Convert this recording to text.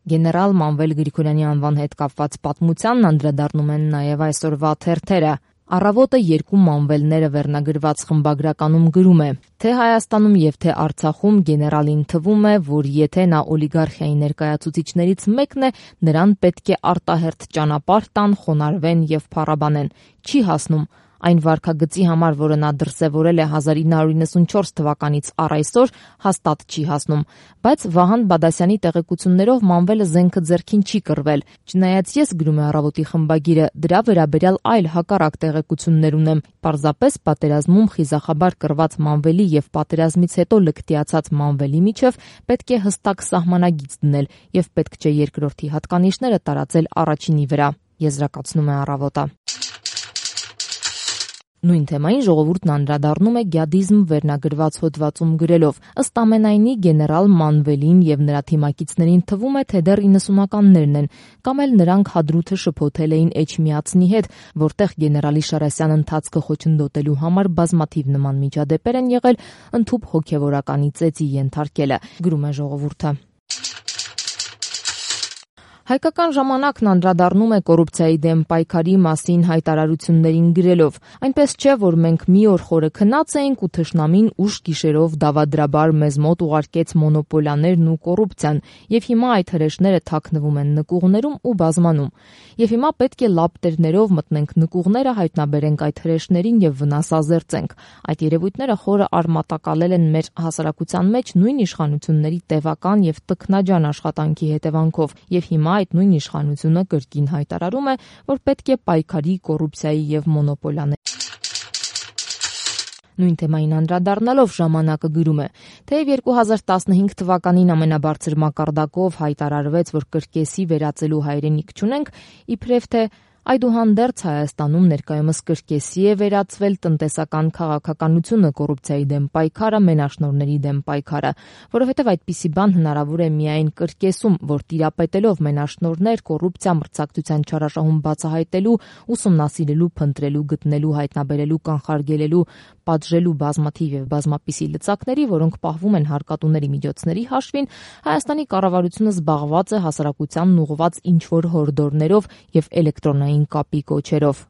Գեներալ Մանվել Գրիգորյանի անվան հետ կապված պատմությանն անդրադառնում են նաև այսօրվա թերթերը։ Առավոտը երկու մանվելները վերնագրված խմբագրականում գրում է, թե Հայաստանում եւ թե Արցախում գեներալին թվում է, որ եթե նա օլիգարխիայի ներկայացուցիչներից մեկն է, նրան պետք է արտահերթ ճանապարհ տան, խոնարհվեն եւ փառաբանեն։ Չի հասնում։ Այն վարքագծի համար, որը նա դրսևորել է 1994 թվականից առ այսօր, հաստատ չի հասնում։ Բայց Վահան Բադասյանի տեղեկություններով մանվելը զենքը ձեռքին չի կռվել։ Չնայած ես, գրում է Առավոտի խմբագիրը, դրա վերաբերյալ այլ հակառակ տեղեկություններ ունեմ։ Պարզապես պատերազմում խիզախաբար կռված մանվելի եւ պատերազմից հետո լկտիացած մանվելի միջև պետք է հստակ սահմանագիծ դնել եւ պետք չէ երկրորդի հատկանիշները տարածել առաջինի վրա, եզրակացնում է Առավոտը։ Նույն թեմային Ժողովուրդն անդրադառնում է գյադիզմ վերնագրված հոդվածում գրելով. ըստ ամենայնի գեներալ Մանվելին եւ նրա թիմակիցներին թվում է, թե դեռ 90-ականներն են, կամ էլ նրանք հադրութը շփոթել էին Էջմիածնի հետ, որտեղ գեներալի Շարասյան ընթացքը խոչընդոտելու համար բազմաթիվ նման միջադեպեր են եղել, ընդհուպ հոգեվորականի ծեծի ենթարկելը, գրում է Ժողովուրդը։ Հայկական ժամանակն անդրադառնում է կոռուպցիայի դեմ պայքարի մասին հայտարարություններին գրելով. այնպես չէ, որ մենք մի օր խորը քնած էինք ու թշնամին ուշ գիշերով դավադրաբար մեզ մոտ ուղարկեց մոնոպոլիաներն ու կոռուպցիան, եւ հիմա այդ հրեշները թաքնվում են նկուղներում ու բազմանում։ Եվ հիմա պետք է լապտերներով մտնենք նկուղները, հայտնաբերենք այդ հրեշներին եւ վնասազերծենք։ Այդ երևույթները խորը արմատակալել են մեր հասարակության մեջ նույն իշխանությունների տևական եւ տքնաջան աշխատանքի հետևանքով, եւ հիմա այդ նույն իշխանությունը կրկին հայտարարում է, որ պետք է պայքարի կոռուպցիայի եւ մոնոպոլիաների։ Նույն թեմային անդրադառնալով ժամանակը գրում է, թեև 2015 թվականին ամենաբարձր մակարդակով հայտարարվեց, որ կրկեսի վերածելու հայրենիք չունենք, իբրև թե այդուհանդերձ Հայաստանում ներկայումս կրկեսի է վերածվել տնտեսական քաղաքականությունը, կոռուպցիայի դեմ պայքարը, մենաշնորհների դեմ պայքարը, որովհետև այդպիսի բան հնարավոր է միայն կրկեսում, որ տիրապետելով մենաշնորհներ, կոռուպցիա, մրցակցության չարաշահում բացահայտելու, ուսումնասիրելու, փնտրելու, գտնելու, հայտնաբերելու, կանխարգելելու, պատժելու բազմաթիվ եւ բազմապիսի լծակների, որոնք պահվում են հարկատուների միջոցների հաշվին, Հայաստանի կառավարությունը զբաղված է հասարակությանն ուղղված ինչ-որ հորդորներով եւ էլեկտրոնային կապի կոչերով։